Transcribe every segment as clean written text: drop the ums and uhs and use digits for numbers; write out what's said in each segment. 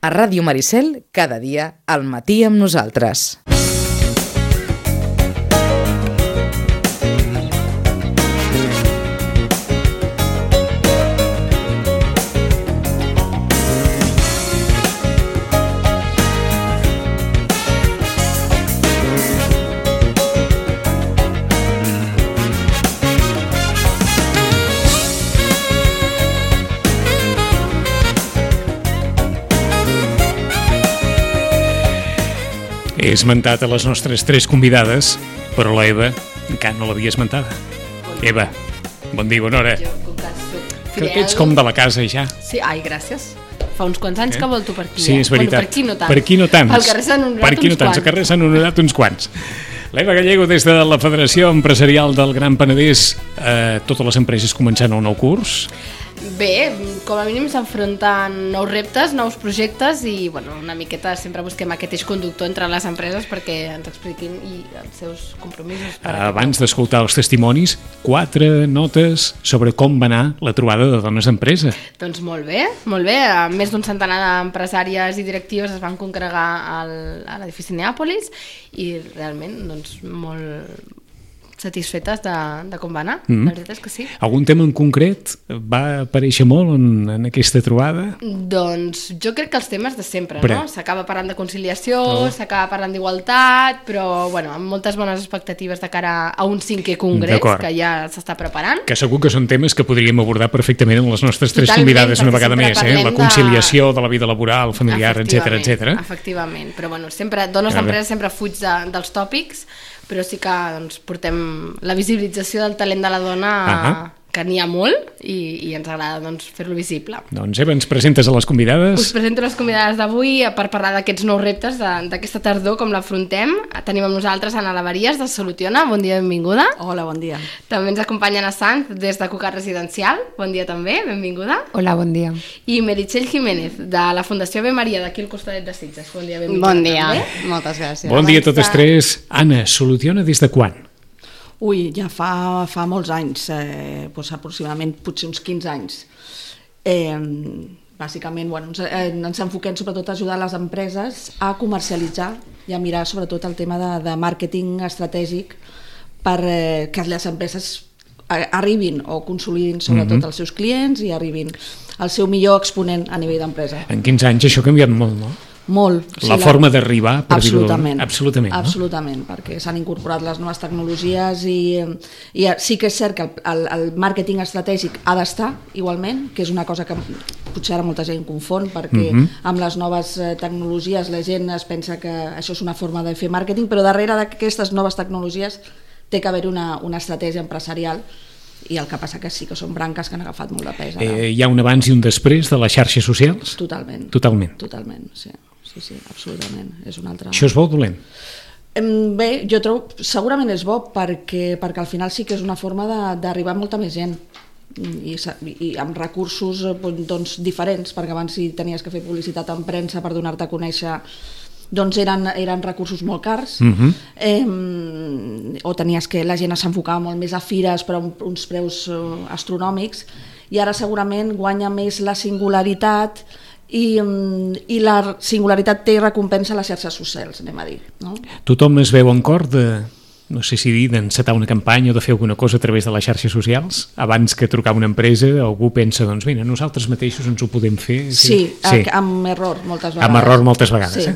A Ràdio Maricel, cada dia, al matí amb nosaltres. He esmentat a les nostres tres convidades, però la Eva encara no l'havia esmentada. Eva, bon dia, bona hora. Jo, com que soc Crec que ets com de la casa ja. Sí, ai, gràcies. Fa uns quants anys que volto per aquí. Sí, és veritat. Bueno, per aquí no tant. Per aquí no tants. Al carrer Sant Honorat per aquí no tants. Al carrer Sant Honorat uns quants. L'Eva Gallego, des de la Federació Empresarial del Gran Penedès, totes les empreses començant el nou curs. Bé, com a mínim s'enfronten nous reptes, nous projectes i bueno, una miqueta sempre busquem aquest eix conductor entre les empreses perquè ens expliquin i els seus compromisos. Abans d'escoltar els testimonis, 4 notes sobre com va anar la trobada de dones d'empresa. Doncs molt bé. Més d'un centenar d'empresàries i directives es van congregar a l'edifici Neàpolis i realment doncs, molt satisfetes de com va anar, la veritat és que sí. Algun tema en concret va aparèixer molt en aquesta trobada? Doncs jo crec que els temes de sempre, no? S'acaba parlant de conciliació, s'acaba parlant d'igualtat, però bueno, amb moltes bones expectatives de cara a un 5è congrés que ja s'està preparant. Que segur que són temes que podríem abordar perfectament amb les nostres tres convidades una vegada més, la conciliació de la vida laboral, familiar, etc. Efectivament, però bueno, sempre, dones d'empresa sempre fuig dels tòpics, però sí que doncs, portem la visibilització del talent de la dona, que n'hi ha molt i ens agrada doncs, fer-lo visible. Doncs Eva, ens presentes a les convidades? Us presento les convidades d'avui per parlar d'aquests nous reptes d'aquesta tardor, com l'afrontem. Tenim amb nosaltres Anna Lavarías, de Soluciona. Bon dia, benvinguda. Hola, bon dia. També ens acompanya Ana Sanz, des de Cucat Residencial. Bon dia també, benvinguda. Hola, bon dia. I Meritxell Jiménez, de la Fundació Ave Maria, d'aquí al costadet de Sitges. Bon dia, benvinguda. Bon dia, moltes gràcies. Bon dia a totes tres. Anna, Soluciona des de quan? Ui, ja fa molts anys, doncs aproximadament potser uns 15 anys. Bàsicament, bueno, ens enfoquem sobretot a ajudar les empreses a comercialitzar i a mirar sobretot el tema de màrqueting estratègic per que les empreses arribin o consolidin sobretot els seus clients i arribin al seu millor exponent a nivell d'empresa. En 15 anys això ha canviat molt, no? Molt. La forma d'arribar, per dir-ho. Absolutament, no? Absolutament, perquè s'han incorporat les noves tecnologies i sí que és cert que el màrqueting estratègic ha d'estar igualment, que és una cosa que potser ara molta gent confon, perquè amb les noves tecnologies la gent es pensa que això és una forma de fer màrqueting, però darrere d'aquestes noves tecnologies té que haver una estratègia empresarial i el que passa que sí que són branques que han agafat molt de pes. Hi ha un abans i un després de les xarxes socials? Totalment, sí. Sí, absolutament. És un altre... Això és bo o dolent? Bé, jo trobo segurament és bo perquè al final sí que és una forma d'arribar a molta més gent i amb recursos doncs, diferents, perquè abans si tenies que fer publicitat en premsa per donar-te a conèixer doncs eren recursos molt cars o tenies que la gent s'enfocava molt més a fires però a uns preus astronòmics i ara segurament guanya més la singularitat i la singularitat té recompensa a les xarxes socials, anem a dir, no? Tothom es veu en cor no sé si dir, d'encetar una campanya o de fer alguna cosa a través de les xarxes socials abans que trucar a una empresa, algú pensa doncs mira, nosaltres mateixos ens ho podem fer. Sí. Amb error moltes vegades. Amb error moltes vegades, sí,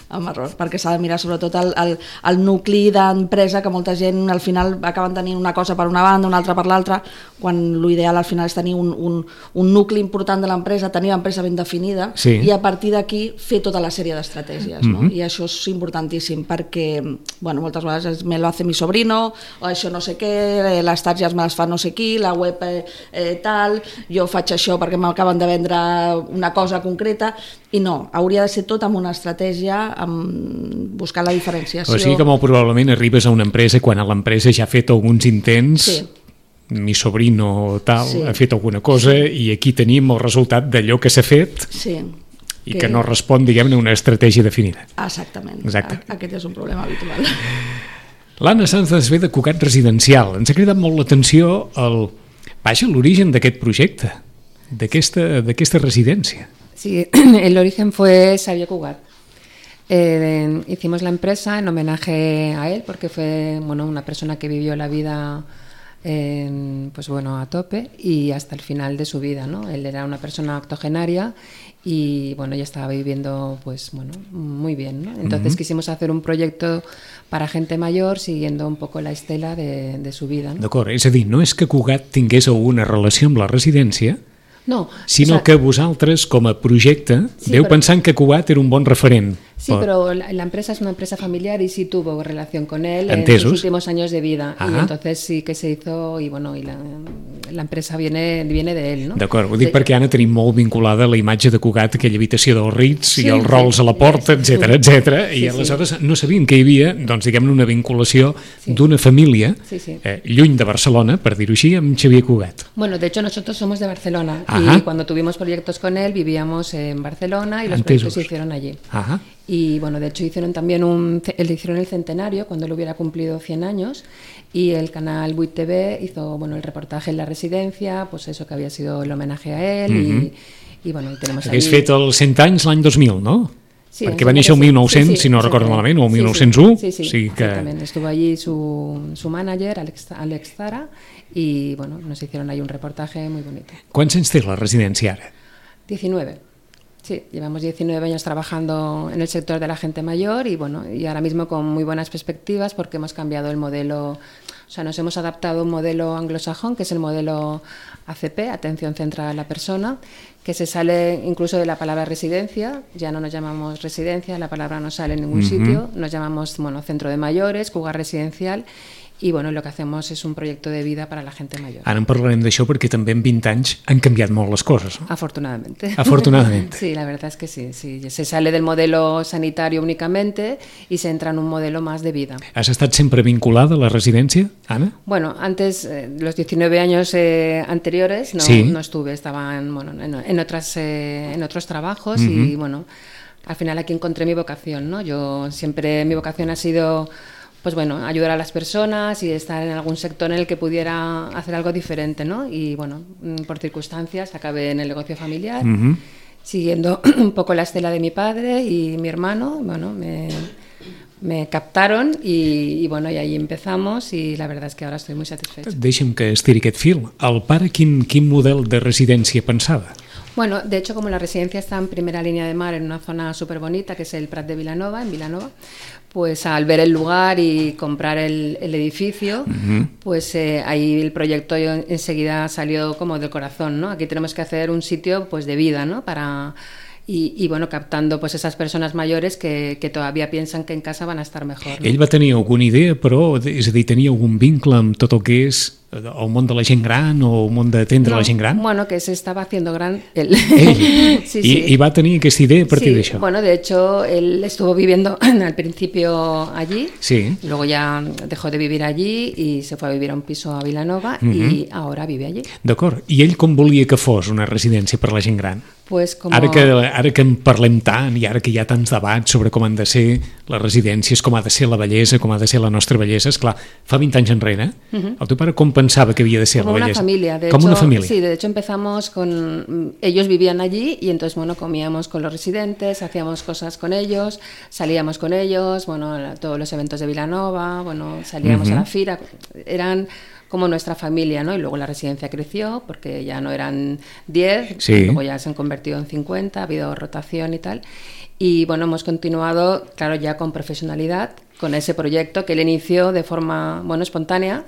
amb error, perquè s'ha de mirar sobretot el nucli d'empresa, que molta gent al final acaben tenint una cosa per una banda, una altra per l'altra, quan l'ideal al final és tenir un nucli important de l'empresa, tenir l'empresa ben definida i a partir d'aquí fer tota la sèrie d'estratègies, no? I això és importantíssim perquè bueno, moltes vegades me lo hace mi sobrino o això no sé què, les targetes me les fa no sé qui, la web tal, jo faig això perquè m'acaben de vendre una cosa concreta i no, hauria de ser tot amb una estratègia, amb buscar la diferenciació. O sigui que molt probablement arribes a una empresa quan l'empresa ja ha fet alguns intents, mi sobrino tal ha fet alguna cosa i aquí tenim el resultat d'allò que s'ha fet i que no respon, diguem-ne, a una estratègia definida. Exactament. Aquest és un problema habitual. L'Anna Sanz es ve de Cucat Residencial. Ens ha cridat molt l'atenció l'origen d'aquest projecte, d'aquesta residència. Sí, el origen fue Xavier Cugat. Hicimos la empresa en homenaje a él porque fue una persona que vivió la vida a tope y hasta el final de su vida, ¿no? Él era una persona octogenaria y ya estaba viviendo muy bien, ¿no? Entonces quisimos hacer un proyecto para gente mayor siguiendo un poco la estela de su vida, ¿no? D'acord, és a dir, no és que Cugat tingués alguna relació amb la residència, no, sinó que vosaltres, com a projecte, pensant que Cugat era un bon referent. Sí, pero la empresa es una empresa familiar y sí tuvo relación con él en sus últimos años de vida. Y entonces sí que se hizo y la empresa viene de él, ¿no? D'acord, ho dic perquè Anna tenim molt vinculada la imatge de Cugat, aquella habitació dels Ritz i els rols a la porta, etc. I aleshores no sabíem que hi havia, diguem-ne, una vinculació d'una família lluny de Barcelona, per dir-ho així, amb Xavier Cugat. Bueno, de hecho nosotros somos de Barcelona y cuando tuvimos proyectos con él vivíamos en Barcelona y los proyectos se hicieron allí. Y de hecho hicieron también el centenario cuando él hubiera cumplido 100 años y el canal 8 TV hizo el reportaje en la residencia, pues eso que había sido el homenaje a él y tenemos allí... Hagués fet els 100 anys l'any 2000, no? Sí, perquè va néixer el 1900, si no recordo malament, o el 1901. Sí, exactament. Estuvo allí su manager, Alex Zara, y nos hicieron ahí un reportaje muy bonito. ¿Quants anys té la residència ara? 19. Sí, llevamos 19 años trabajando en el sector de la gente mayor y ahora mismo con muy buenas perspectivas porque hemos cambiado el modelo, o sea, nos hemos adaptado a un modelo anglosajón que es el modelo ACP, Atención Centrada a la Persona, que se sale incluso de la palabra residencia, ya no nos llamamos residencia, la palabra no sale en ningún sitio, nos llamamos centro de mayores, Cugat residencial. I lo que hacemos es un proyecto de vida para la gente mayor. Ara en parlarem d'això perquè també en 20 anys han canviat molt les coses, no? Afortunadamente. Afortunadamente. Sí, la verdad es que sí. Se sale del modelo sanitario únicamente y se entra en un modelo más de vida. Has estat sempre vinculada a la residència, Anna? Bueno, antes, los 19 años anteriores no estuve, estaba en otros trabajos y al final aquí encontré mi vocación, ¿no? Yo siempre, mi vocación ha sido... ayudar a las personas y estar en algún sector en el que pudiera hacer algo diferente, ¿no? Y por circunstancias acabé en el negocio familiar, siguiendo un poco la estela de mi padre y mi hermano, me captaron y ahí empezamos y la verdad es que ahora estoy muy satisfecha. Deixa'm que estiri aquest fil. El pare quin model de residència pensava? Bueno, de hecho, como la residencia está en primera línea de mar, en una zona súper bonita, que es el Prat de Vilanova, en Vilanova, pues al ver el lugar y comprar el edificio, pues ahí el proyecto enseguida salió como del corazón, ¿no? Aquí tenemos que hacer un sitio pues de vida, ¿no? Y captando pues esas persones mayores que todavía piensan que en casa van a estar mejor, ¿no? Ell va tenir alguna idea, però, és a dir, tenia algun vincle amb tot el que és el món de la gent gran o el món d'atendre la gent gran? Bueno, que se estaba haciendo gran él. Sí. I va tenir aquesta idea a partir d'això? Bueno, de hecho, él estuvo viviendo al principio allí, luego ya dejó de vivir allí y se fue a vivir a un piso a Vilanova y ahora vive allí. D'acord. I ell com volia que fos una residència per la gent gran? Pues como... Ara que en parlem tant i ara que hi ha tants debats sobre com han de ser les residències, com ha de ser la bellesa, com ha de ser la nostra bellesa, esclar, fa 20 anys enrere, el teu pare com pensava que havia de ser como la bellesa? Como una familia. Como una familia. Sí, de hecho empezamos con... Ellos vivían allí y entonces, comíamos con los residentes, hacíamos cosas con ellos, salíamos con ellos, todos los eventos de Vilanova, salíamos a la fira, eran... como nuestra familia, ¿no? Y luego la residencia creció porque ya no eran 10, luego ya se han convertido en 50, ha habido rotación y tal. Y hemos continuado, claro, ya con profesionalidad, con ese proyecto que él inició de forma, espontánea.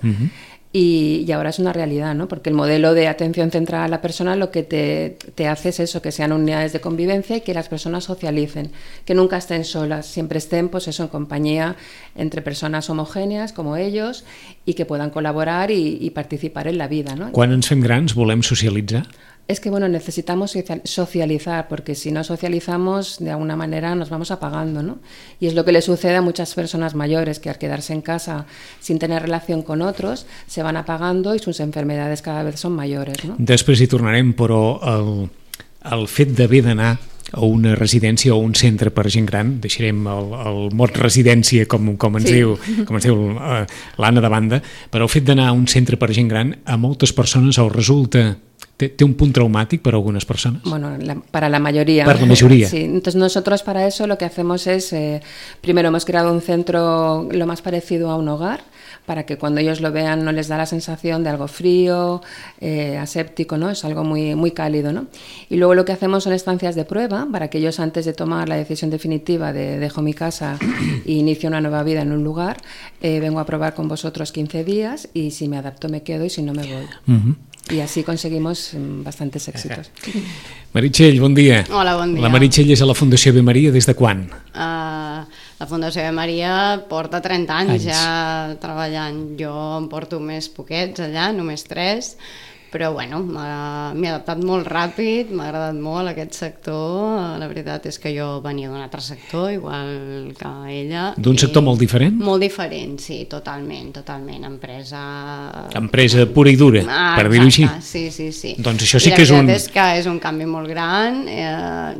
Y ahora es una realidad, ¿no? Porque el modelo de atención centrada a la persona lo que te hace es eso, que sean unidades de convivencia y que las personas socialicen, que nunca estén solas, siempre estén pues eso, en compañía entre personas homogéneas como ellos y que puedan colaborar y participar en la vida, ¿no? Quan ens fem grans volem socialitzar? Es que necesitamos socializar, porque si no socializamos, de alguna manera nos vamos apagando, ¿no? Y es lo que le sucede a muchas personas mayores, que al quedarse en casa sin tener relación con otros, se van apagando y sus enfermedades cada vez son mayores, ¿no? Després hi tornarem, però el fet d'haver d'anar a una residència o un centre per gent gran, deixarem el mot residència com ens diu l'Anna de banda, però el fet d'anar a un centre per gent gran a moltes persones els resulta ¿Té un punto traumático para algunas personas? Bueno, para la mayoría. Para la mayoría. Sí, entonces nosotros para eso lo que hacemos es, primero hemos creado un centro lo más parecido a un hogar, para que cuando ellos lo vean no les da la sensación de algo frío, aséptico, ¿no? Es algo muy, muy cálido, ¿no? Y luego lo que hacemos son estancias de prueba para que ellos, antes de tomar la decisión definitiva de dejo mi casa e inicio una nueva vida en un lugar, vengo a probar con vosotros 15 días y si me adapto me quedo y si no me voy. Y así conseguimos bastantes èxitos. Meritxell, bon dia. Hola, bon dia. La Meritxell és a la Fundació Ave Maria des de quan? La Fundació Ave Maria porta 30 anys ja treballant. Jo em porto més poquets allà, només 3, però bueno, m'he adaptat molt ràpid, m'ha agradat molt aquest sector. La veritat és que jo venia d'un altre sector, igual que ella. D'un sector molt diferent? Molt diferent, sí, totalment. Empresa pura i dura, per dir-ho així. Sí. Doncs això sí que és un... La veritat és que és un canvi molt gran,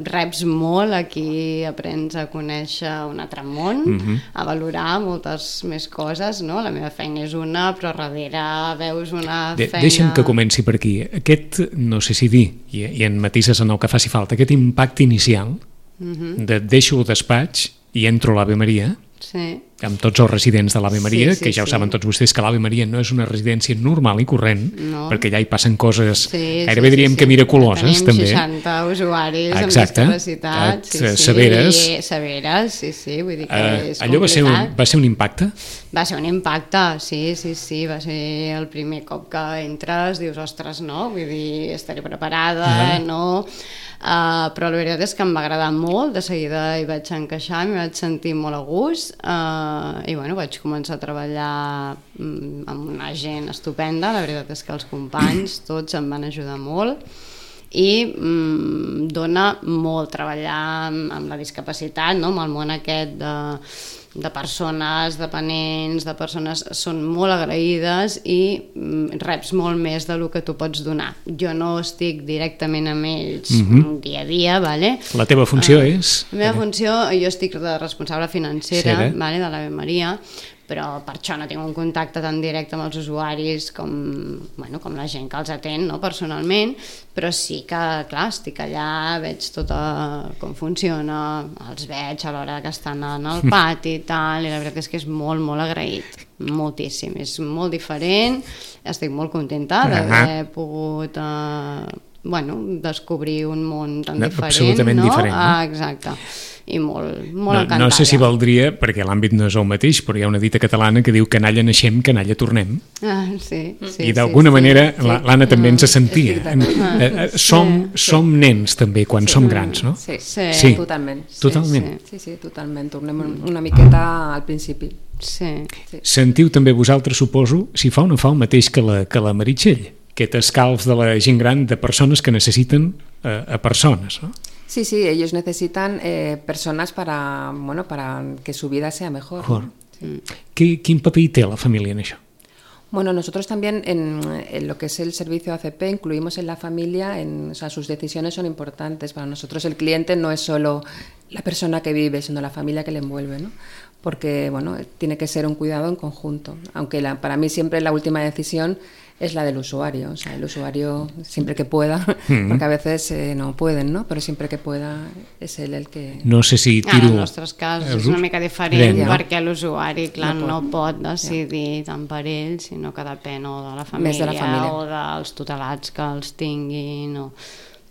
reps molt, aquí aprens a conèixer un altre món, a valorar moltes més coses, no? La meva feina és una, però darrere veus una feina... Deixa'm que comenci per aquí. Aquest, no sé si dir, i en matises en el que faci falta, aquest impacte inicial de deixo el despatx i entro a l'Ave Maria, amb tots els residents de l'Ave Maria, que ja ho saben tots vostès que l'Ave Maria no és una residència normal i corrent, perquè allà hi passen coses gairebé diríem que miraculoses, també. Tenim 60 usuaris amb discapacitat. Severes. Severes, sí, vull dir que és allò complicat. va ser un impacte? Va ser un impacte, sí, va ser el primer cop que entres, dius, ostres, no, vull dir, estaré preparada, no... però la veritat és que em va agradar molt, de seguida hi vaig encaixar, m'hi vaig sentir molt a gust i bueno, vaig començar a treballar amb una gent estupenda, la veritat és que els companys tots em van ajudar molt i dona molt treballar amb la discapacitat, no? Amb el món aquest de persones dependents, de persones són molt agraïdes i reps molt més del que tu pots donar. Jo no estic directament amb ells dia a dia, vale? La teva funció és? La meva funció, jo estic de responsable financera, vale, de l'Ave Maria, però per això no tinc un contacte tan directe amb els usuaris com la gent que els atén, no, personalment, però sí que, clar, estic allà, veig tot com funciona, els veig a l'hora que estan en el pati i tal, i la veritat és que és molt, molt agraït, moltíssim, és molt diferent, estic molt contenta d'haver pogut descobrir un món tan diferent, absolutament diferent, no? Exacte. I molt encantada. No sé si valdria, perquè l'àmbit no és el mateix, però hi ha una dita catalana que diu canalla naixem, canalla tornem. I d'alguna manera l'Anna també ens sentia. Som nens també quan som grans, no? Sí, totalment. Sí, totalment. Tornem una miqueta al principi. Sentiu també vosaltres, suposo, si fa o no fa el mateix que la Meritxell, aquest escalf de la gent gran de persones que necessiten a persones, no? Sí, ellos necesitan personas para que su vida sea mejor. ¿No? ¿Quin paper té la familia en això? Bueno, nosotros también en lo que es el servicio ACP incluimos en la familia, o sea, sus decisiones son importantes. Para nosotros el cliente no es solo la persona que vive, sino la familia que le envuelve, ¿no? Porque, bueno, tiene que ser un cuidado en conjunto. Aunque para mí siempre la última decisión es la del usuario, o sea, el usuario siempre que pueda, porque a veces no pueden, ¿no? Però sempre que pueda és ell el que... No sé si tiro... En el nostre cas és una mica diferent, perquè l'usuari, clar, no pot decidir tant per ell, sinó que depèn o de la família o dels tutelats que els tinguin,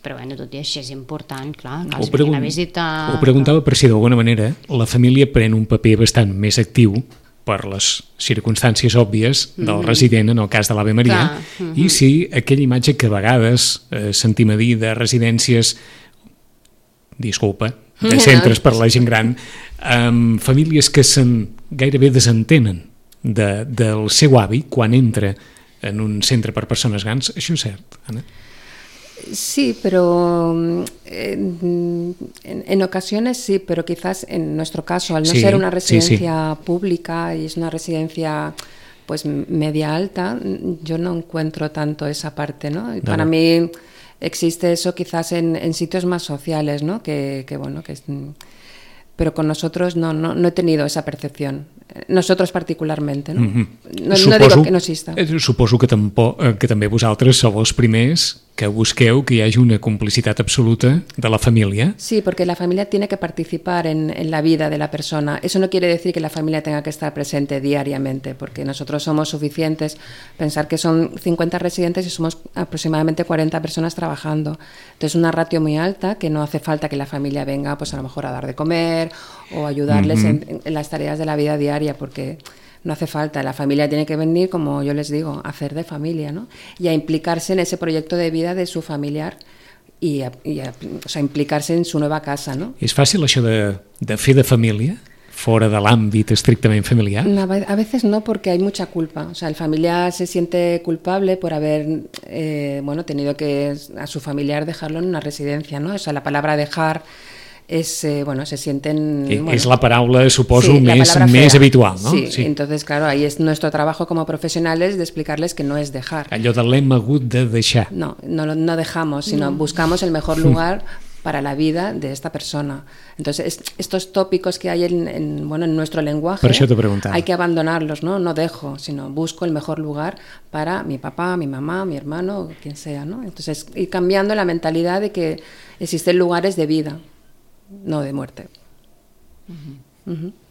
però bueno, tot i així és important, clar, que els vinguin a visitar... Ho preguntava per si d'alguna manera la família pren un paper bastant més actiu per les circumstàncies òbvies del resident en el cas de l'Ave Maria, i si aquella imatge que a vegades sentim a dir de residències, disculpa, de centres per la gent gran, amb famílies que gairebé desentenen del seu avi quan entra en un centre per persones grans, això és cert, Anna? Sí, pero en ocasiones sí, pero quizás en nuestro caso, al no ser una residencia pública y es una residencia pues media alta, yo no encuentro tanto esa parte, ¿no? Y para mí existe eso quizás en sitios más sociales, ¿no? Que bueno, pero con nosotros no he tenido esa percepción. nosotros particularmente, no? No Suposo, digo que no exista. Suposo que també vosaltres sou els primers que busqueu que hi hagi una complicitat absoluta de la família. Sí, porque la familia tiene que participar en la vida de la persona. Eso no quiere decir que la familia tenga que estar presente diariamente, porque nosotros somos suficientes. Pensar que son 50 residentes y somos aproximadamente 40 personas trabajando. Entonces, una ratio muy alta que no hace falta que la familia venga, pues a lo mejor a dar de comer o ayudarles en las tareas de la vida diaria, porque no hace falta. La familia tiene que venir, como yo les digo, a hacer de familia, ¿no? Y a implicarse en ese proyecto de vida de su familiar y a implicarse en su nueva casa, ¿no? És fàcil això de fer de família fora de l'àmbit estrictament familiar? No, a veces no, porque hay mucha culpa. O sea, el familiar se siente culpable por haber tenido que a su familiar dejarlo en una residencia, ¿no? O sea, la palabra dejar se sienten... És la paraula, suposo, sí, més habitual, ¿no? Sí, entonces, claro, ahí es nuestro trabajo como profesionales de explicarles que no es dejar. Allò de l'hem hagut de deixar. No dejamos, sino buscamos el mejor lugar para la vida de esta persona. Entonces, estos tópicos que hay en nuestro lenguaje, por eso te preguntaba, hay que abandonarlos, ¿no? No dejo, sino busco el mejor lugar para mi papá, mi mamá, mi hermano, quien sea, ¿no? Entonces, ir cambiando la mentalidad de que existen lugares de vida, no de muerte.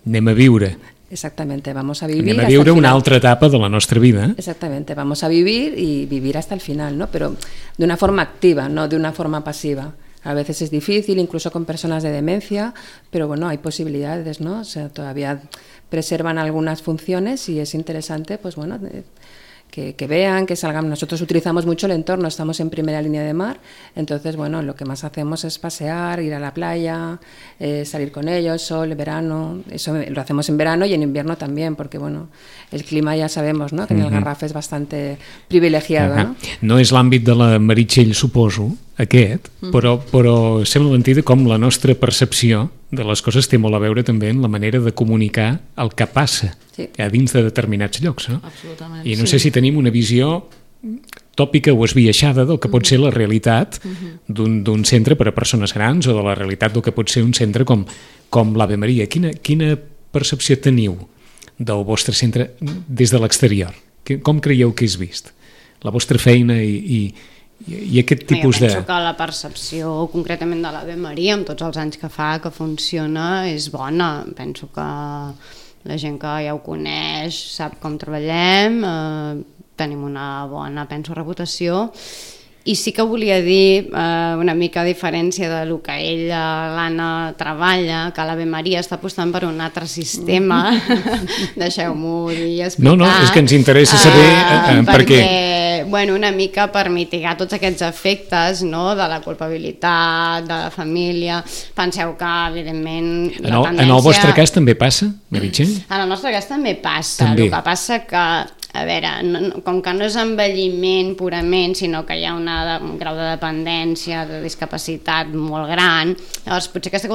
Anem a viure. Exactamente, vamos a vivir. Anem a viure una altra etapa de la nostra vida. Exactamente, vamos a vivir y vivir hasta el final, ¿no? Pero de una forma activa, no de una forma pasiva. A veces es difícil, incluso con personas de demencia, pero bueno, hay posibilidades, ¿no? O sea, todavía preservan algunas funciones y es interesante, pues bueno, que vean, que salgan. Nosotros utilizamos mucho el entorno, estamos en primera línea de mar, entonces, bueno, lo que más hacemos es pasear, ir a la playa, salir con ellos, sol, verano, eso lo hacemos en verano y en invierno también, porque, bueno, el clima ya sabemos, ¿no?, que en el Garraf és bastante privilegiado, no? No és l'àmbit de la Meritxell, suposo, aquest, però sembla mentida com la nostra percepció de les coses té molt a veure també en la manera de comunicar el que passa a dins de determinats llocs, no? Absolutament. I no sé si tenim una visió tòpica o esbiaixada del que pot ser la realitat d'un centre per a persones grans o de la realitat del que pot ser un centre com l'Ave Maria. Quina percepció teniu del vostre centre des de l'exterior? Com creieu que és vist? La vostra feina i aquest tipus de... Jo penso que la percepció concretament de l'Ave Maria, amb tots els anys que fa, que funciona, és bona. Penso que la gent que ja ho coneix sap com treballem, tenim una bona, penso, reputació. I sí que volia dir una mica a diferència del que ella, l'Anna, treballa, que l'Ave Maria està apostant per un altre sistema. Deixeu-m'ho dir i explicar. No, és que ens interessa saber per què. Bueno, una mica per mitigar tots aquests efectes, no?, de la culpabilitat, de la família. Penseu que, evidentment, la tendència... En el vostre cas també passa, Meritxell? En el nostre cas també passa. El que passa que, a veure, com que no és envelliment purament, sinó que hi ha un grau de dependència, de discapacitat molt gran, llavors potser aquesta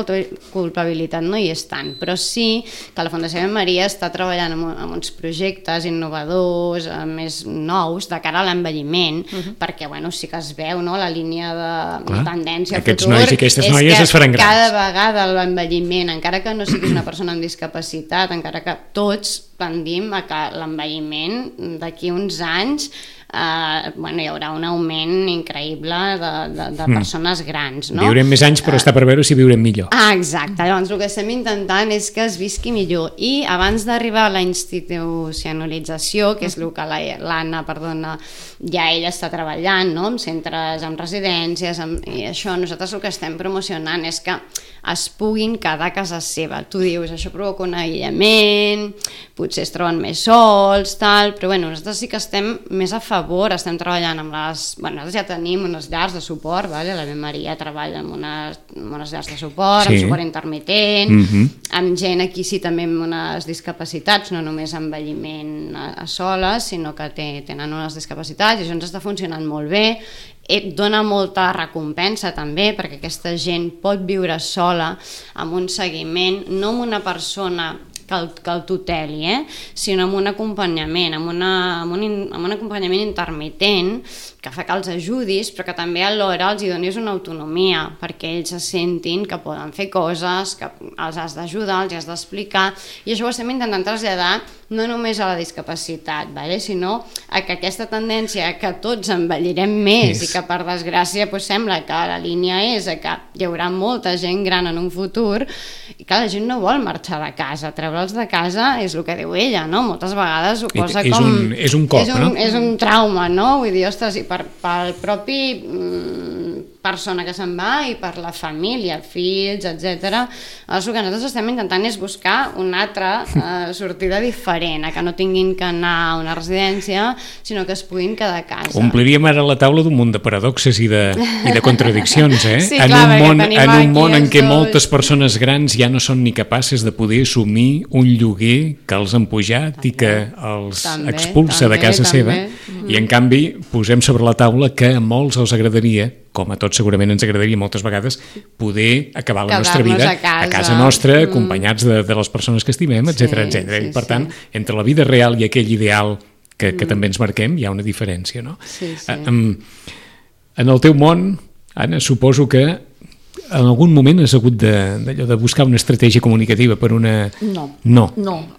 culpabilitat no hi és tant, però sí que la Fundació Ave Maria està treballant en uns projectes innovadors, més nous, de cara a l'envelliment, perquè, bueno, sí que es veu, no?, la línia de tendència al futur. Aquests nois i aquestes noies es faran grans. Cada vegada l'envelliment, encara que no siguis una persona amb discapacitat, encara que tots tendim a que l'envelliment d'aquí uns anys hi haurà un augment increïble de persones grans, no? Viurem més anys, però està per veure si viurem millor. Exacte, llavors el que estem intentant és que es visqui millor, i abans d'arribar a la institucionalització, que és el que l'Anna, ja ella està treballant, no?, amb centres, amb residències, i això, nosaltres el que estem promocionant és que es puguin quedar a casa seva. Tu dius, això provoca un aïllament, potser es troben més sols, però nosaltres sí que estem més a favor, estem treballant amb nosaltres ja tenim unes llars de suport, l'Ave Maria treballa amb unes llars de suport, amb suport intermitent, amb gent aquí sí també amb unes discapacitats, no només envelliment a soles, sinó que tenen unes discapacitats, i això ens està funcionant molt bé. Et dona molta recompensa també, perquè aquesta gent pot viure sola amb un seguiment, no amb una persona que el tuteli, sinó amb un acompanyament, amb un acompanyament intermitent fa que els ajudis, però que també alhora els hi donis una autonomia, perquè ells se sentin que poden fer coses, que els has d'ajudar, els has d'explicar, i això ho estem intentant traslladar no només a la discapacitat, sinó a que aquesta tendència que tots envellirem més i que per desgràcia sembla que la línia és que hi haurà molta gent gran en un futur, i que la gent no vol marxar de casa, treure'ls de casa és el que diu ella, no? Moltes vegades ho posa com... És un cop, no? És un trauma, no? Vull dir, ostres, i pel propi persona que se'n va i per la família, fills, etc. El que nosaltres estem intentant és buscar una altra sortida diferent, que no tinguin que anar a una residència, sinó que es puguin quedar a casa. Ompliríem ara la taula d'un munt de paradoxes i de contradiccions, eh? Sí, clar, en un món en què moltes persones grans ja no són ni capaces de poder assumir un lloguer que els han pujat i que els expulsa de casa seva, i en canvi posem sobre la taula que a molts els agradaria, com a tots segurament ens agradaria moltes vegades, poder acabar la nostra vida a casa nostra, acompanyats de les persones que estimem, etc. I per tant, entre la vida real i aquell ideal que també ens marquem, hi ha una diferència, no? En el teu món, Anna, suposo que en algun moment has hagut de buscar una estratègia comunicativa per una... No,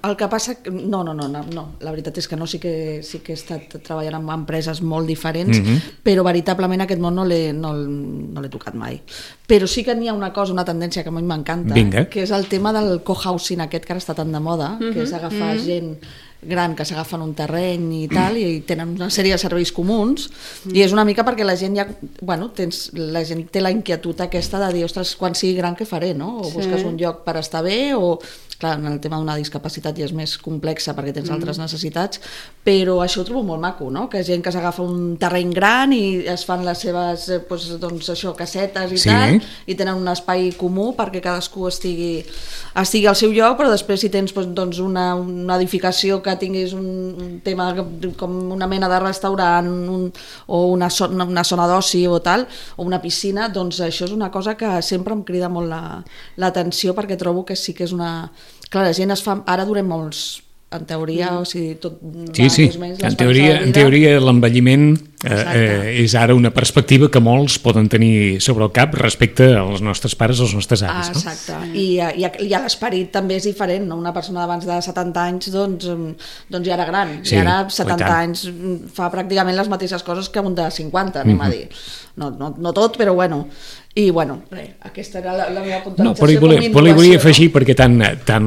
el que passa... No, la veritat és que no, sí que he estat treballant en empreses molt diferents, però veritablement aquest món no l'he tocat mai. Però sí que n'hi ha una cosa, una tendència que a mi m'encanta, que és el tema del cohousing aquest que ara està tan de moda, que és agafar gent gran que s'agafen un terreny i tal, i tenen una sèrie de serveis comuns, i és una mica perquè la gent ja, la gent té la inquietud aquesta de dir, ostres, quan sigui gran què faré, no? O busques un lloc per estar bé, o clar, en el tema d'una discapacitat ja és més complexa perquè tens altres necessitats, però això ho trobo molt maco, no? Que gent que s'agafa un terreny gran i es fan les seves casetes i tal, i tenen un espai comú perquè cadascú estigui al seu lloc, però després si tens una edificació que tinguis un tema com una mena de restaurant o una zona d'oci o tal, o una piscina, doncs això és una cosa que sempre em crida molt l'atenció, perquè trobo que sí que és una... Clar, la gent es fa... Ara durem molts, en teoria, o sigui, tot va més o menys... En teoria l'envelliment és ara una perspectiva que molts poden tenir sobre el cap respecte als nostres pares o als nostres avis. Exacte, i l'esperit també és diferent, no? Una persona d'abans de 70 anys doncs ja era gran, i ara 70 anys fa pràcticament les mateixes coses que un de 50, anem a dir. No tot, però bueno... I bueno, aquesta era la meva puntualització. Però hi volia afegir, perquè tant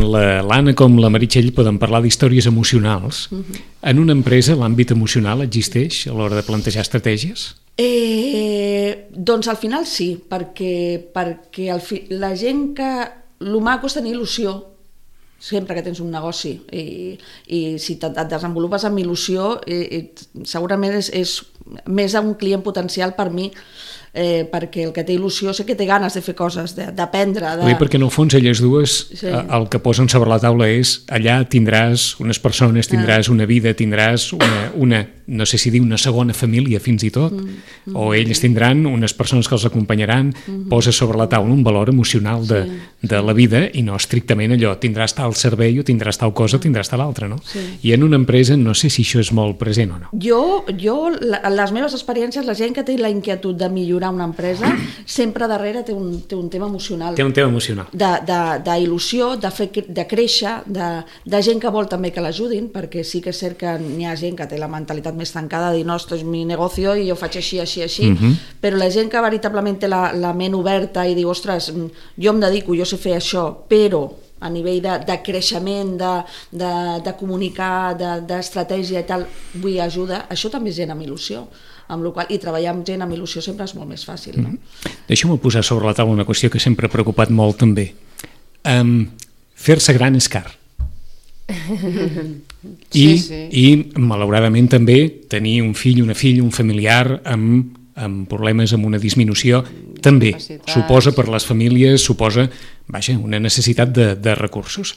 l'Anna com la Meritxell poden parlar d'històries emocionals. En una empresa l'àmbit emocional existeix a l'hora de plantejar estratègies? Doncs al final sí, perquè la gent que... El maco és tenir il·lusió sempre que tens un negoci, i si et desenvolupes amb il·lusió segurament és més un client potencial per mi, perquè el que té il·lusió sé que té ganes de fer coses, d'aprendre. Perquè en el fons elles dues el que posen sobre la taula és allà tindràs unes persones, tindràs una vida, tindràs una no sé si dir una segona família fins i tot, o ells tindran unes persones que els acompanyaran, posa sobre la taula un valor emocional de la vida, i no estrictament allò, tindràs tal servei o tindràs tal cosa o tindràs tal altra, no? I en una empresa no sé si això és molt present o no. Jo les meves experiències, la gent que té la inquietud de millorar una empresa, sempre darrere té un tema emocional. Té un tema emocional. d'il·lusió, de créixer, de gent que vol també que l'ajudin, perquè sí que és cert que n'hi ha gent que té la mentalitat més tancada, de dir, no, esto és mi negocio i jo faig així, però la gent que veritablement té la ment oberta i diu, ostres, jo em dedico, jo sé fer això, però a nivell de creixement, de comunicar, d'estratègia i tal, vull ajuda, això també és gent amb il·lusió, amb la qual, i treballar amb gent amb il·lusió sempre és molt més fàcil. No? Deixa'm posar sobre la taula una qüestió que sempre ha preocupat molt també. Fer-se gran és car. I malauradament també tenir un fill, una filla, un familiar amb problemes, amb una disminució, també suposa per les famílies, suposa una necessitat de recursos.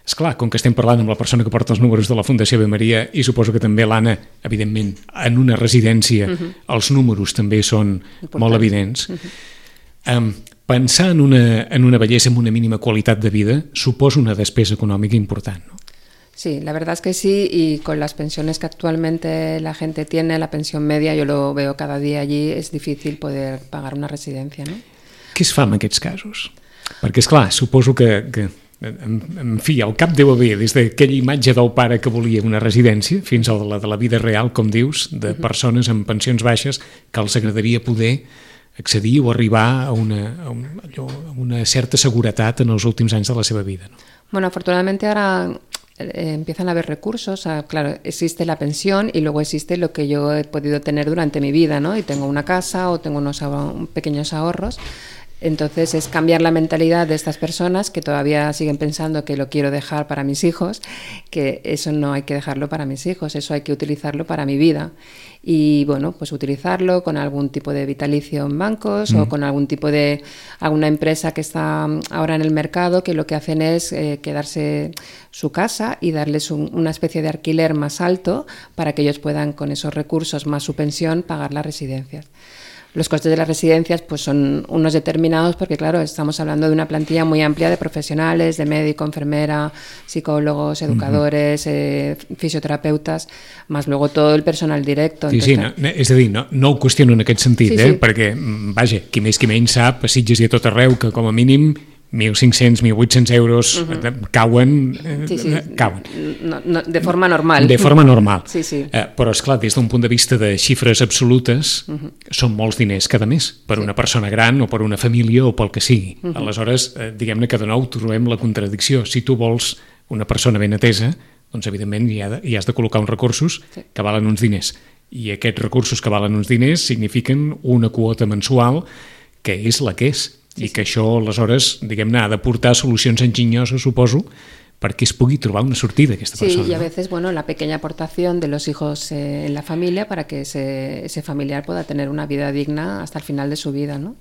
Esclar, com que estem parlant amb la persona que porta els números de la Fundació Ave Maria, i suposo que també l'Anna, evidentment, en una residència els números també són molt evidents. Pensar en una bellesa amb una mínima qualitat de vida suposa una despesa econòmica important, no? Sí, la verdad es que sí, y con las pensiones que actualmente la gente tiene, la pensión media, yo lo veo cada dia allí, és difícil poder pagar una residència, no? Què es fa en aquests casos? Perquè, esclar, suposo que en fi, al cap deu haver, des d'aquella imatge del pare que volia una residència fins a la de la vida real, com dius, de persones amb pensions baixes que els agradaria poder accedir o arribar a una certa seguretat en els últims anys de la seva vida, no? Bueno, afortunadamente ahora empiezan a haber recursos, claro, existe la pensión y luego existe lo que yo he podido tener durante mi vida, ¿no? Y tengo una casa o tengo unos pequeños ahorros. Entonces es cambiar la mentalidad de estas personas que todavía siguen pensando que lo quiero dejar para mis hijos, que eso no hay que dejarlo para mis hijos, eso hay que utilizarlo para mi vida. Y bueno, pues utilizarlo con algún tipo de vitalicio en bancos o con alguna empresa que está ahora en el mercado, que lo que hacen es quedarse su casa y darles una especie de alquiler más alto para que ellos puedan, con esos recursos más su pensión, pagar las residencias. Los costes de las residencias pues son unos determinados porque, claro, estamos hablando de una plantilla muy amplia de profesionales, de médico, enfermera, psicólogos, educadores, fisioterapeutas, más luego todo el personal directo. Sí, entonces, sí, és a dir, no ho qüestiono en aquest sentit, sí, sí. Perquè, vaja, qui més qui menys sap, a Sitges i a tot arreu, que com a mínim 1.500, 1.800 euros cauen. No, de forma normal. De forma normal. Sí, sí. Però, esclar, des d'un punt de vista de xifres absolutes, són molts diners cada mes, per una persona gran o per una família o pel que sigui. Aleshores, diguem-ne que de nou trobem la contradicció. Si tu vols una persona ben atesa, doncs evidentment hi has de col·locar uns recursos que valen uns diners. I aquests recursos que valen uns diners signifiquen una quota mensual que és la que és. I que això, aleshores, diguem-ne, ha de portar solucions enginyoses, suposo, perquè es pugui trobar una sortida a aquesta persona. Sí, y a veces, bueno, la pequeña aportación de los hijos en la familia para que ese familiar pueda tener una vida digna hasta el final de su vida, ¿no?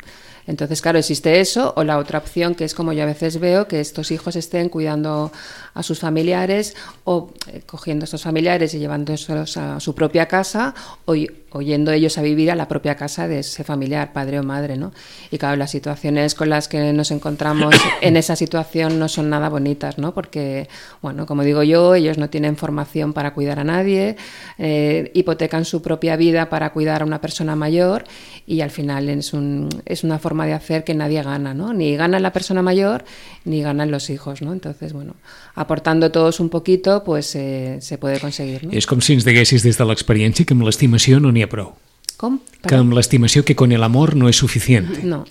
Entonces, claro, existe eso, o la otra opción, que es como yo a veces veo, que estos hijos estén cuidando a sus familiares o cogiendo a estos familiares y llevándolos a su propia casa o yendo ellos a vivir a la propia casa de ese familiar, padre o madre, ¿no? Y claro, las situaciones con las que nos encontramos en esa situación no son nada bonitas, ¿no? Porque, bueno, como digo yo, ellos no tienen formación para cuidar a nadie, hipotecan su propia vida para cuidar a una persona mayor y al final es una forma de hacer que nadie gana, ¿no? Ni gana la persona mayor ni ganan los hijos, ¿no? Entonces, bueno, aportando todos un poquito, pues se puede conseguir, ¿no? És com si ens diguessis des de l'experiència que amb l'estimació no n'hi ha prou. ¿Cómo? Que amb l'estimació que con el amor no es suficiente. No,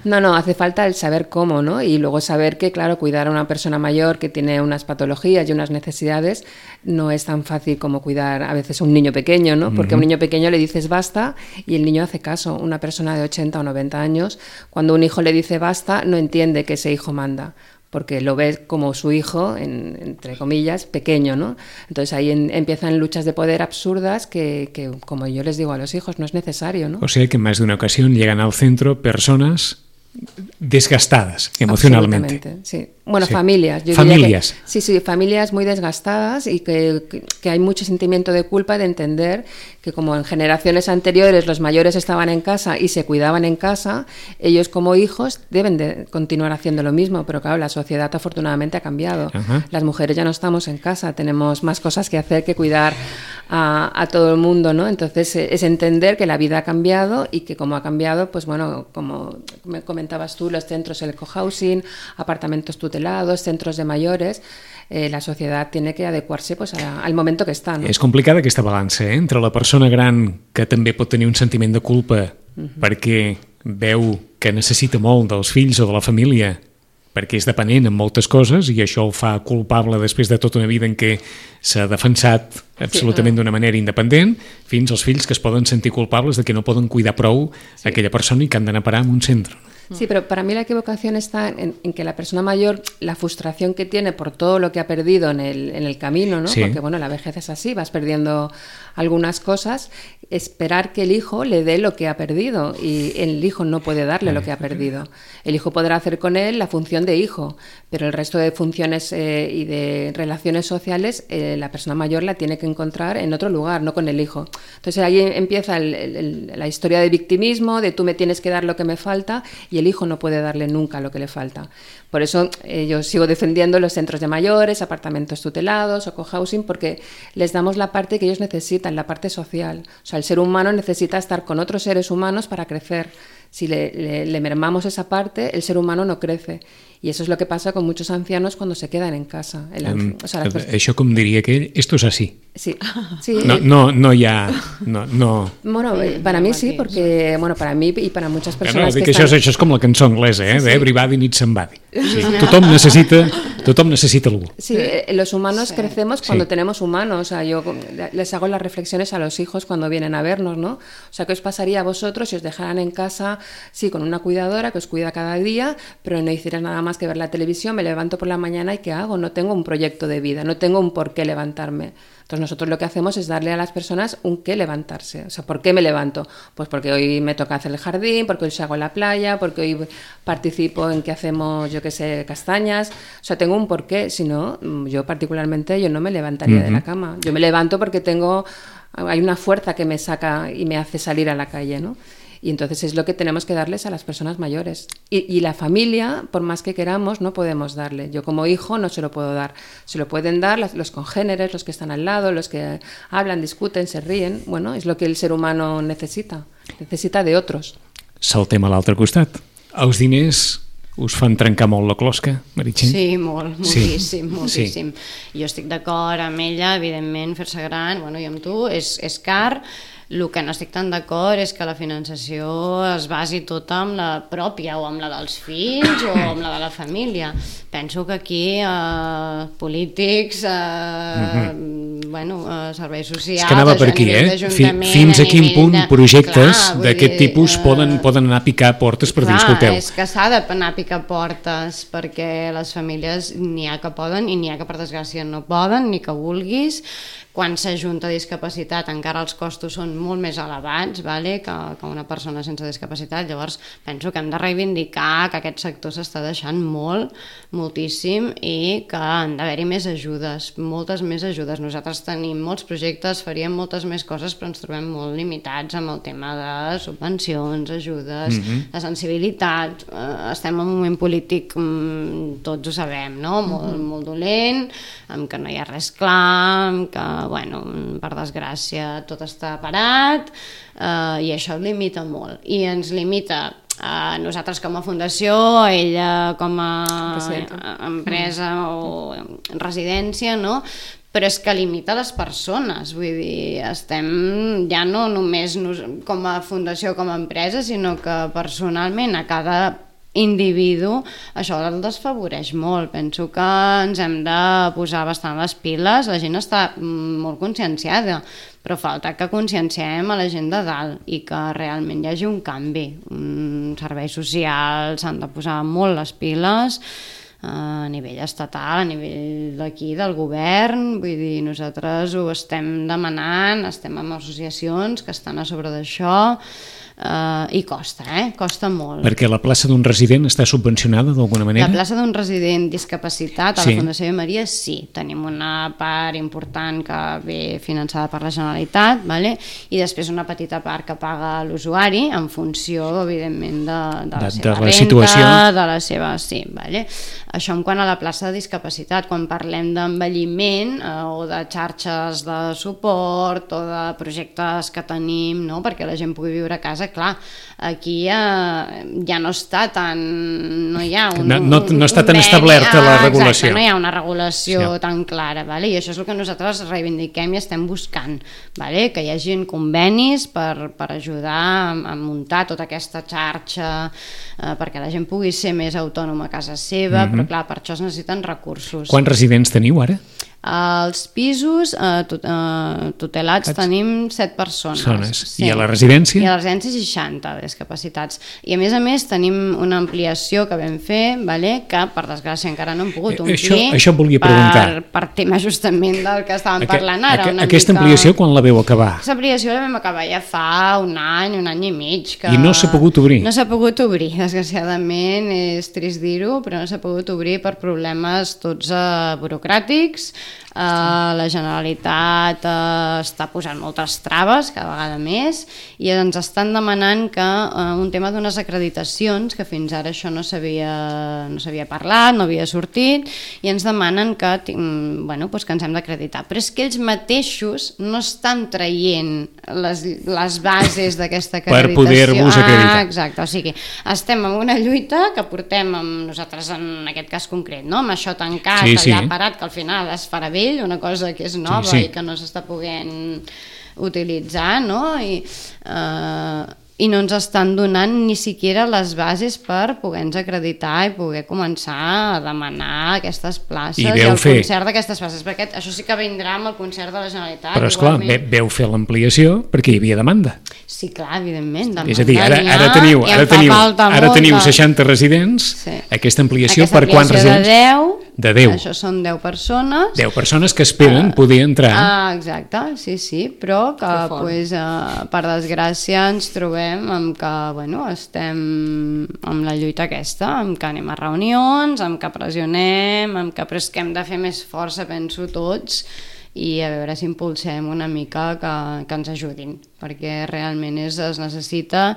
no, hace falta el saber cómo, ¿no? Y luego saber que, claro, cuidar a una persona mayor que tiene unas patologías y unas necesidades no es tan fácil como cuidar a veces a un niño pequeño, ¿no? Porque a un niño pequeño le dices basta y el niño hace caso. Una persona de 80 o 90 años, cuando un hijo le dice basta, no entiende que ese hijo manda, porque lo ves como su hijo, entre comillas, pequeño, ¿no? Entonces ahí empiezan luchas de poder absurdas que, como yo les digo a los hijos, no es necesario, ¿no? O sea que en más de una ocasión llegan al centro personas desgastadas emocionalmente. Sí. Bueno, sí. Familias. Familias. Sí, familias muy desgastadas y que hay mucho sentimiento de culpa de entender que como en generaciones anteriores los mayores estaban en casa y se cuidaban en casa, ellos como hijos deben de continuar haciendo lo mismo, pero claro, la sociedad afortunadamente ha cambiado. Las mujeres ya no estamos en casa, tenemos más cosas que hacer que cuidar a todo el mundo, ¿no? Entonces es entender que la vida ha cambiado y que como ha cambiado, pues bueno, como me comentabas tú, los centros, el cohousing, apartamentos tutelados, centros de mayores, la societat tiene que adequar-se pues, al moment que està. No? És complicada aquesta balança, entre la persona gran que també pot tenir un sentiment de culpa perquè veu que necessita molt dels fills o de la família, perquè és dependent en moltes coses i això el fa culpable després de tota una vida en què s'ha defensat absolutament d'una manera independent, fins als fills que es poden sentir culpables de que no poden cuidar prou aquella persona i que han d'anar a parar en un centre. Sí, pero para mí la equivocación está en que la persona mayor, la frustración que tiene por todo lo que ha perdido en el camino, ¿no? Sí. Porque bueno, la vejez es así, vas perdiendo algunas cosas, esperar que el hijo le dé lo que ha perdido y el hijo no puede darle lo que ha perdido. El hijo podrá hacer con él la función de hijo, pero el resto de funciones y de relaciones sociales la persona mayor la tiene que encontrar en otro lugar, no con el hijo. Entonces ahí empieza la historia de victimismo, de tú me tienes que dar lo que me falta y el hijo no puede darle nunca lo que le falta. Por eso yo sigo defendiendo los centros de mayores, apartamentos tutelados o cohousing, porque les damos la parte que ellos necesitan, la parte social. O sea, el ser humano necesita estar con otros seres humanos para crecer. Si le mermamos esa parte, el ser humano no crece. I això és el que passa con muchos ancianos cuando se quedan en casa. Això, com diria aquell, esto es así. Sí. No hi ha... No. Bueno, para mí sí, porque para mí y para muchas personas que están... Això és com la cançó anglesa, Everybody needs somebody. Tothom necessita algú. Sí, los humanos crecemos cuando tenemos humanos. O sea, yo les hago las reflexiones a los hijos cuando vienen a vernos, ¿no? O sea, ¿qué os pasaría a vosotros si os dejaran en casa, sí, con una cuidadora que os cuida cada día, pero no hicieras nada más que ver la televisión? Me levanto por la mañana y ¿qué hago? No tengo un proyecto de vida, no tengo un por qué levantarme. Entonces nosotros lo que hacemos es darle a las personas un qué levantarse. O sea, ¿por qué me levanto? Pues porque hoy me toca hacer el jardín, porque hoy salgo a la playa, porque hoy participo en que hacemos, yo qué sé, castañas. O sea, tengo un porqué. Si no, yo particularmente yo no me levantaría de la cama. Yo me levanto porque hay una fuerza que me saca y me hace salir a la calle, ¿no? Y entonces es lo que tenemos que darles a las personas mayores. Y la familia, por más que queramos, no podemos darle. Yo como hijo no se lo puedo dar. Se lo pueden dar los congéneres, los que están al lado, los que hablan, discuten, se ríen. Bueno, es lo que el ser humano necesita. Necesita de otros. Saltem a l'altre costat. Els diners us fan trencar molt la closca, Meritxell? Sí, moltíssim. Sí. Jo estic d'acord amb ella, evidentment, fer-se gran, bueno, i amb tu, és car. El que no estic tan d'acord és que la finançació es basi tota amb la pròpia o amb la dels fills o amb la de la família. Penso que aquí polítics, serveis socials... És que anava per aquí, Fins a quin punt projectes d'aquest tipus poden anar a picar portes per dir, escolteu. És que s'ha d'anar a picar portes perquè les famílies n'hi ha que poden i n'hi ha que per desgràcia no poden ni que vulguis. Quan s'ajunta discapacitat encara els costos són molt més elevats que una persona sense discapacitat. Llavors penso que hem de reivindicar que aquest sector s'està deixant moltíssim i que han d'haver-hi més ajudes, moltes més ajudes. Nosaltres tenim molts projectes, faríem moltes més coses, però ens trobem molt limitats amb el tema de subvencions, ajudes, de sensibilitat. Estem en un moment polític, tots ho sabem, no? Molt dolent, amb que no hi ha res clar, amb que per desgràcia tot està parat i això limita molt i ens limita a nosaltres com a fundació, a ella com a empresa o residència, no? Però és que limita les persones, vull dir, estem ja no només com a fundació, com a empresa, sinó que personalment a cada individu, això el desfavoreix molt. Penso que ens hem de posar bastant les piles, la gent està molt conscienciada, però falta que conscienciem a la gent de dalt i que realment hi hagi un canvi. Serveis socials s'han de posar molt les piles a nivell estatal, a nivell d'aquí, del govern, vull dir, nosaltres ho estem demanant, estem amb associacions que estan a sobre d'això, i costa molt. Perquè la plaça d'un resident està subvencionada d'alguna manera? La plaça d'un resident discapacitat a la Fundació Ave Maria sí, tenim una part important que ve finançada per la Generalitat, i després una petita part que paga l'usuari en funció, evidentment, de la seva renta, de la seva... Sí, això en quant a la plaça de discapacitat. Quan parlem d'envelliment o de xarxes de suport o de projectes que tenim perquè la gent pugui viure a casa, clar, aquí ja no està tan... no hi ha no està tan establerta la regulació. Exacte, no hi ha una regulació tan clara, i això és el que nosaltres reivindiquem i estem buscant, que hi hagi convenis per ajudar a muntar tota aquesta xarxa perquè la gent pugui ser més autònoma a casa seva, però clar, per això es necessiten recursos. Quants residents teniu ara? Als pisos tutelats tenim 7 persones. I a la residència? I a la residència 60 discapacitats. I a més tenim una ampliació que vam fer, que per desgràcia encara no hem pogut omplir. Això em volia preguntar. Per tema justament del que estàvem parlant ara. Aquesta ampliació quan la veu acabar? Aquesta ampliació la vam acabar ja fa un any i mig. I no s'ha pogut obrir? No s'ha pogut obrir, desgraciadament, és trist dir-ho, però no s'ha pogut obrir per problemes tots burocràtics, la Generalitat està posant moltes traves, cada vegada més, i ens estan demanant que un tema d'unes acreditacions, que fins ara això no s'havia parlat, no havia sortit, i ens demanen que, bueno, doncs que ens hem d'acreditar. Però és que ells mateixos no estan traient les bases d'aquesta acreditació. Per poder-vos acreditar. Exacte, o sigui, estem en una lluita que portem amb nosaltres en aquest cas concret, no? Amb això tancat, allà parat, que al final es farà vell, una cosa que és nova i que no s'està podent utilitzar, no? I no ens estan donant ni siquiera les bases per poder-nos acreditar i poder començar a demanar aquestes places i el concert d'aquestes places, perquè això sí que vindrà amb el concert de la Generalitat. Però esclar, veu fer l'ampliació perquè hi havia demanda. Sí, clar, evidentment. És a dir, ara teniu 60 residents, aquesta ampliació per quants residents? De 10. Això són 10 persones. 10 persones que esperen poder entrar. Exacte, sí, però que per desgràcia ens trobem amb que estem amb la lluita aquesta, amb que anem a reunions, amb que pressionem, amb que però és que hem de fer més força, penso tots, i a veure si impulsem una mica que ens ajudin, perquè realment es necessita,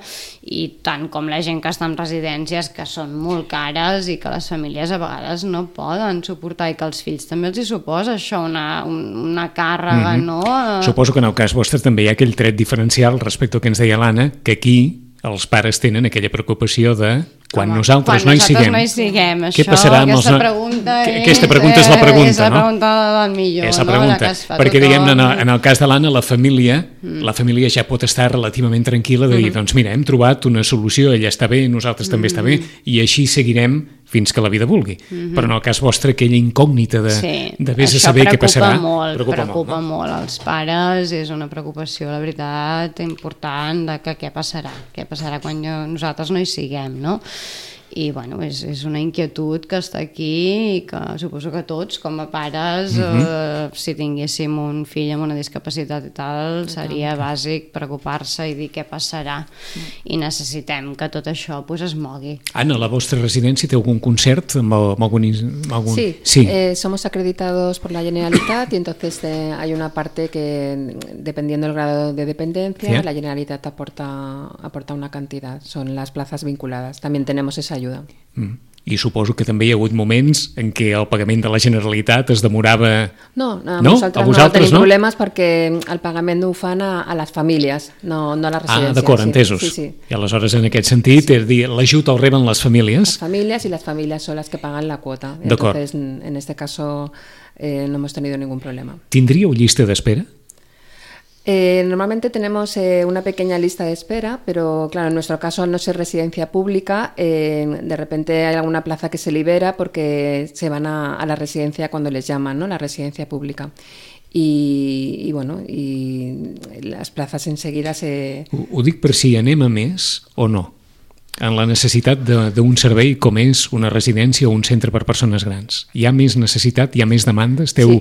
i tant com la gent que està en residències que són molt cares i que les famílies a vegades no poden suportar, i que els fills també els hi suposa això una càrrega, no? Suposo que en el cas vostre també hi ha aquell tret diferencial respecte al que ens deia l'Anna, que aquí els pares tenen aquella preocupació de quan nosaltres no hi siguem, què passarà amb aquesta pregunta és la pregunta, és la pregunta del millor, és la pregunta, perquè diguem-ne en el cas de l'Anna la família ja pot estar relativament tranquil·la de dir, doncs mira, hem trobat una solució, ella està bé, nosaltres també està bé, i així seguirem fins que la vida vulgui. Però en el cas vostre, aquella incògnita de vés a saber què passarà, preocupa molt als pares, és una preocupació, la veritat, important, de que què passarà quan nosaltres no hi siguem, no? I bueno, és una inquietud que està aquí i que suposo que tots com a pares si tinguéssim un fill amb una discapacitat i tal, seria bàsic preocupar-se i dir què passarà, i necessitem que tot això es mogui. Anna, la vostra residència té algun concert amb algun... Sí. Somos acreditados por la Generalitat y entonces hay una parte que dependiendo del grado de dependencia la Generalitat aporta una cantidad, son las plazas vinculadas, también tenemos esa ayuda. I suposo que també hi ha hagut moments en què el pagament de la Generalitat es demorava... No, nosaltres no tenim problemes perquè el pagament ho fan a les famílies, no a les residències. D'acord, entesos. Sí. I aleshores en aquest sentit, és dir, l'ajut el reben les famílies? Las familias y las familias son las que pagan la cuota. Entonces, en este caso no hemos tenido ningún problema. ¿Tindríeu llista d'espera? Normalmente tenemos una pequeña lista de espera, pero claro, en nuestro caso, al no ser residencia pública, de repente hay alguna plaza que se libera porque se van a la residencia cuando les llaman, ¿no? La residencia pública. I les places enseguida se... Ho dic per si anem a més o no, en la necessitat d'un servei com és una residència o un centre per persones grans. Hi ha més necessitat, hi ha més demanda? Esteu,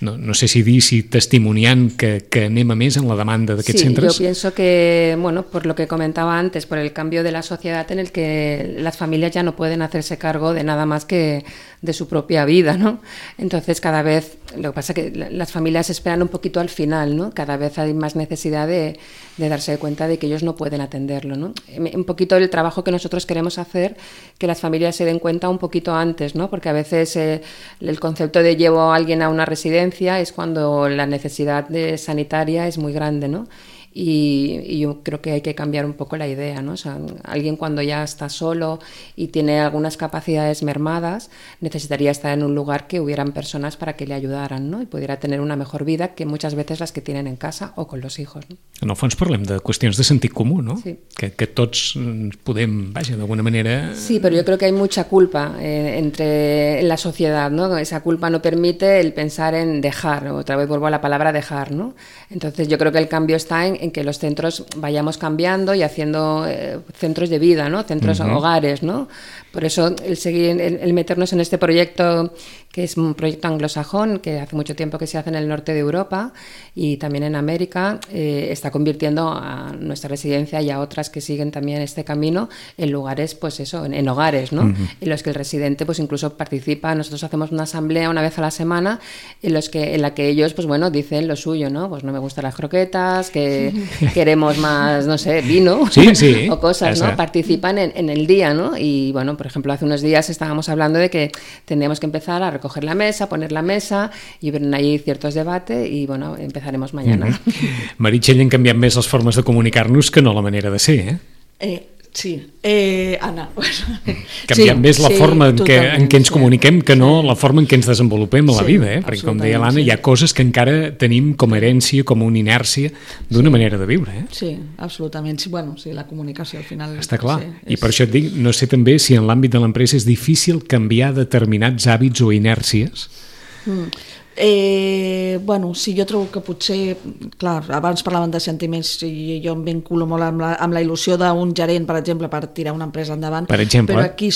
no sé si testimoniant que anem a més en la demanda d'aquests centres? Sí, yo pienso que, por lo que comentaba antes, por el cambio de la sociedad en el que las familias ya no pueden hacerse cargo de nada más que de su propia vida, ¿no? Entonces cada vez, lo que pasa es que las familias esperan un poquito al final, ¿no? Cada vez hay más necesidad de darse cuenta de que ellos no pueden atenderlo, ¿no? Un poquito el trabajo que nosotros queremos hacer, que las familias se den cuenta un poquito antes, ¿no? Porque a veces el concepto de llevo a alguien a una residencia es cuando la necesidad sanitaria es muy grande, ¿no? Y yo creo que hay que cambiar un poco la idea, ¿no? O sea, alguien cuando ya está solo y tiene algunas capacidades mermadas necesitaría estar en un lugar que hubieran personas para que le ayudaran, ¿no? Y pudiera tener una mejor vida que muchas veces las que tienen en casa o con los hijos, ¿no? En el fons parlem de qüestions de sentit comú, no? Sí. Que tots podem, d'alguna manera... Sí, pero yo creo que hay mucha culpa en la sociedad, ¿no? Esa culpa no permite el pensar en dejar, otra vez vuelvo a la palabra dejar, ¿no? Entonces yo creo que el cambio está en que los centros vayamos cambiando y haciendo centros de vida, ¿no? Centros hogares, ¿no? Por eso el meternos en este proyecto, que es un proyecto anglosajón, que hace mucho tiempo que se hace en el norte de Europa y también en América, está convirtiendo a nuestra residencia y a otras que siguen también este camino en lugares, pues eso, en hogares, ¿no? En los que el residente pues incluso participa. Nosotros hacemos una asamblea una vez a la semana en la que ellos, pues bueno, dicen lo suyo, ¿no? Pues no me gustan las croquetas, que queremos más, no sé, vino o cosas, ¿no? Participan en el día, ¿no? Y bueno, por ejemplo, hace unos días estábamos hablando de que tendríamos que empezar a recoger la mesa, poner la mesa, y ven ahí ciertos debates y bueno, empezaremos mañana. Meritxell, han canviat més les formes de comunicar-nos que no la manera de ser, Sí, Anna. Canviant més la forma en què ens comuniquem que no la forma en què ens desenvolupem a la vida, perquè com deia l'Anna, hi ha coses que encara tenim com a herència, com una inèrcia d'una manera de viure. Sí, absolutament. Bueno, sí, la comunicació al final... Està clar. I per això et dic, no sé també si en l'àmbit de l'empresa és difícil canviar determinats hàbits o inèrcies. Bueno, sí, jo trobo que potser, clar, abans parlaven de sentiments i jo em vinculo molt amb la il·lusió d'un gerent, per exemple, per tirar una empresa endavant, però aquí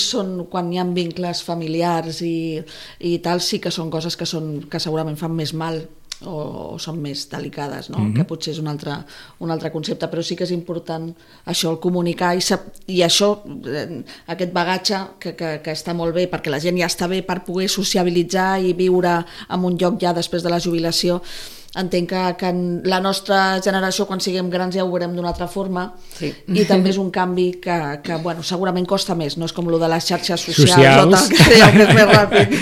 quan hi ha vincles familiars i tal, sí que són coses que segurament fan més mal o són més delicades, no? Que potser és un altre concepte, però sí que és important això, el comunicar i això, aquest bagatge que està molt bé perquè la gent ja està bé per poder sociabilitzar i viure en un lloc ja després de la jubilació. Entenc que en la nostra generació, quan siguem grans, ja ho veurem d'una altra forma, i també és un canvi que bueno, segurament costa més, no és com el de les xarxes socials o tal, que és més ràpid.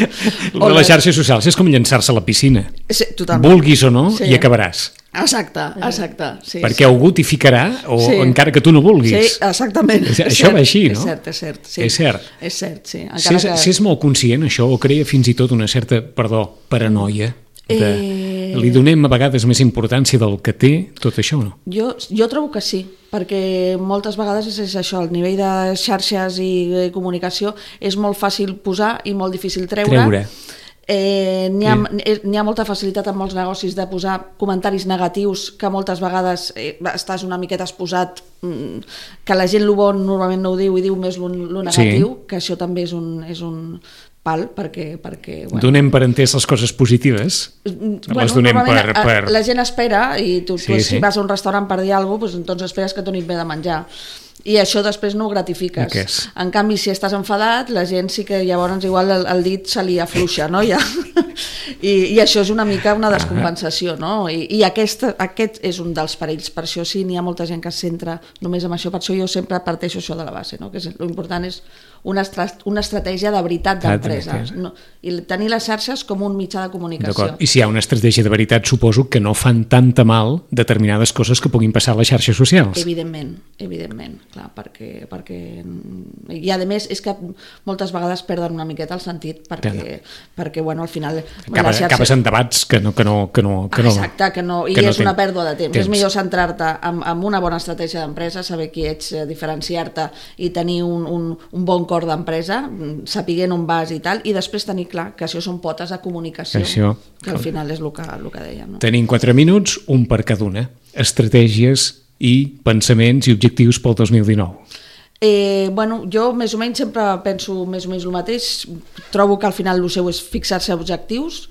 El de les xarxes socials és com llançar-se a la piscina. Sí, totalment. Vulguis o no, hi acabaràs. Exacte, sí. Perquè algú t'hi ficarà, o encara que tu no vulguis. Sí, exactament. Això va així, no? És cert. Sí. Si és molt conscient, això, o crea fins i tot una certa, paranoia, li donem a vegades més importància del que té tot això, no? Jo trobo que sí, perquè moltes vegades és això, el nivell de xarxes i comunicació és molt fàcil posar i molt difícil treure. N'hi ha molta facilitat en molts negocis de posar comentaris negatius que moltes vegades estàs una miqueta exposat, que la gent lo bon normalment no ho diu i diu més lo negatiu, que això també és un pal, perquè bueno, donem per entès les coses positives, les donem per... La gent espera, i tu si vas a un restaurant per dir alguna cosa, doncs esperes que donin bé de menjar, i això després no ho gratifiques. En canvi, si estàs enfadat, la gent sí que llavors igual el dit se li afluixa, no? I això és una mica una descompensació, no? I aquest és un dels perills. Per això sí, n'hi ha molta gent que es centra només en això. Per això jo sempre parteixo això de la base, no? Que l'important és una estratègia de veritat d'empresa, i tenir les xarxes com un mitjà de comunicació. I si hi ha una estratègia de veritat, suposo que no fan tanta mal determinades coses que puguin passar a les xarxes socials. Evidentment, clar, perquè i a més és que moltes vegades perden una miqueta el sentit perquè bueno, al final acabes en debats que no exacte, i és una pèrdua de temps. És millor centrar-te en una bona estratègia d'empresa, saber qui ets, diferenciar-te i tenir un bon cor d'empresa, sapiguent on vas i tal, i després tenir clar que això són potes de comunicació, que al final és el que dèiem, no? Tenim 4 minuts, un per cada una. Estratègies i pensaments i objectius pel 2019. Bueno, jo més o menys sempre penso més o menys el mateix. Trobo que al final el seu és fixar-se objectius,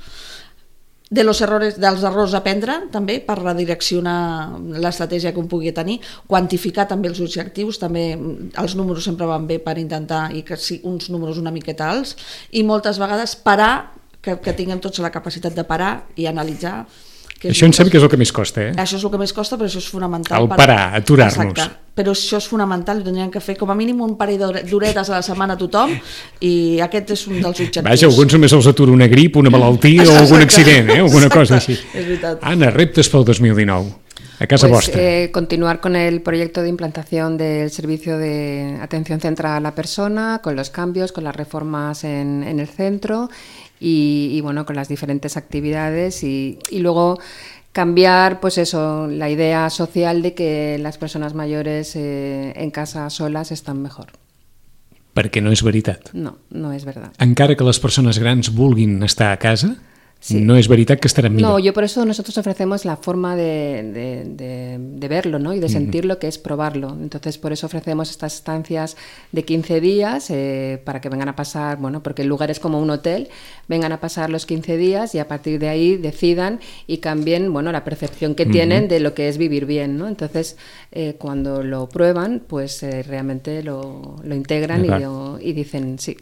dels errors aprendre també per redireccionar l'estratègia que un pugui tenir, quantificar també els objectius, també els números sempre van bé per intentar i que sí, uns números una miqueta alts, i moltes vegades parar, que tinguem tots la capacitat de parar i analitzar. Això em sembla que és el que més costa, Això és el que més costa, però això és fonamental. Parar, aturar-nos. Exacte, però això és fonamental, i tindríem que fer com a mínim un parell d'horetes a la setmana a tothom, i aquest és un dels objectius. Vaja, alguns només els atura una grip, una malaltia o algun accident, alguna cosa així. És veritat. Anna, reptes pel 2019. A casa vostra. Continuar con el proyecto de implantación del servicio de atención centrada a la persona, con los cambios, con las reformas en el centro y bueno, con las diferentes actividades y luego cambiar, pues eso, la idea social de que las personas mayores en casa solas están mejor. Perquè no és veritat. No és veritat. Encara que les persones grans vulguin estar a casa, Sí. No es veritat que estarán millor. No, yo por eso nosotros ofrecemos la forma de verlo, ¿no? Y de sentirlo, que es probarlo. Entonces, por eso ofrecemos estas estancias de 15 días para que vengan a pasar, bueno, porque el lugar es como un hotel, vengan a pasar los 15 días y a partir de ahí decidan y cambien, bueno, la percepción que tienen de lo que es vivir bien, ¿no? Entonces, cuando lo prueban, pues realmente lo integran y dicen sí.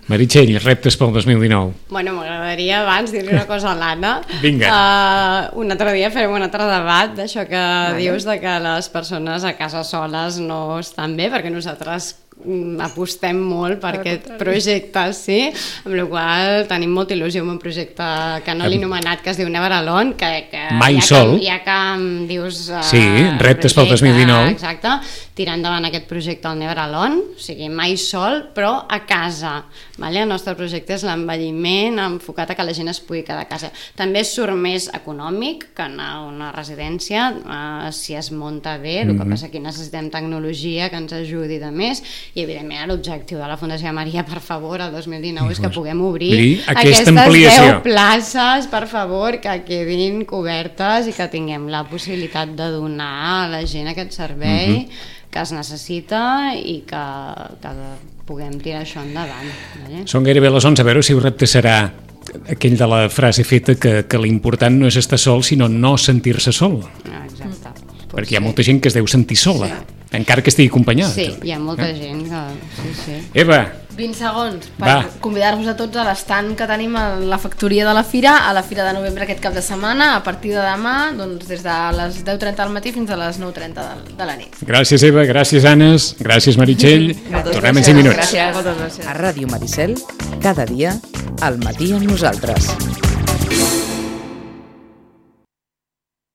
Meritxell, reptes pel 2019. Bueno, m'agradaria abans dir-li una cosa a l'Anna. Vinga. Un altre dia farem un altre debat d'això que dius de que les persones a casa soles no estan bé, perquè nosaltres apostem molt per aquest projecte, sí, amb la qual tenim molta il·lusió amb un projecte que no l'he anomenat, que es diu Never Alone, que Mai sol. Ja que em dius... Sí, reptes pel 2019. Exacte, tirar endavant aquest projecte al Never Alone, o sigui, mai sol, però a casa. Vale? El nostre projecte és l'envelliment enfocat a que la gent es pugui quedar a casa. També surt més econòmic que anar a una residència, si es munta bé, el que passa que necessitem tecnologia que ens ajudi de més, i evidentment l'objectiu de la Fundació Maria, per favor, el 2019 és que puguem obrir aquestes 10 places, per favor, que quedin cobertes i que tinguem la possibilitat de donar a la gent aquest servei que es necessita i que puguem tirar això endavant. Vale? Són gairebé les 11, a veure si el repte serà aquell de la frase feta que l'important no és estar sol, sinó no sentir-se sol. Exacte. Perquè hi ha molta gent que es deu sentir sola, encara que estigui acompanyada. Sí, hi ha molta gent que... Sí. Eva! 20 segons per convidar-vos a tots a l'estand que tenim a la factoria de la Fira, a la Fira de Novembre aquest cap de setmana, a partir de demà, doncs, des de les 10:30 del matí fins a les 9:30 de la nit. Gràcies, Eva, gràcies, Anes, gràcies, Meritxell. Tornem en 5 minuts. Gràcies. Moltes gràcies. A Ràdio Maricel, cada dia, al matí amb nosaltres.